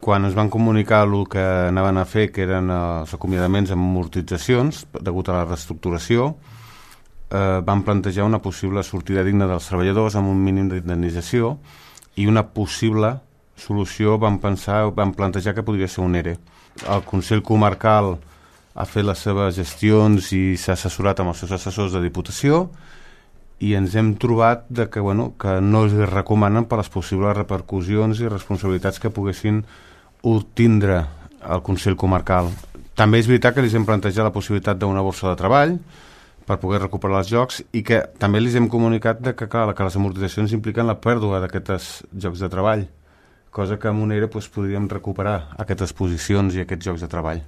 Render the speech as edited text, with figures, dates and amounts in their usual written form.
quan ens van comunicar el que anaven a fer, que eren els acomiadaments amb amortitzacions, degut a la reestructuració, van plantejar una possible sortida digna dels treballadors amb un mínim d'indemnització, i una possible solució van plantejar que podria ser un ERE. El Consell Comarcal ha fet les seves gestions i s'ha assessorat amb els seus assessors de Diputació, i ens hem trobat que no es recomanen per les possibles repercussions i responsabilitats que poguessin obtindre el Consell Comarcal. També és veritat que els hem plantejat la possibilitat d'una borsa de treball per poder recuperar els jocs, i que també els hem comunicat que les amortitzacions impliquen la pèrdua d'aquests jocs de treball, cosa que amb un ERE podríem recuperar aquestes posicions i aquests jocs de treball.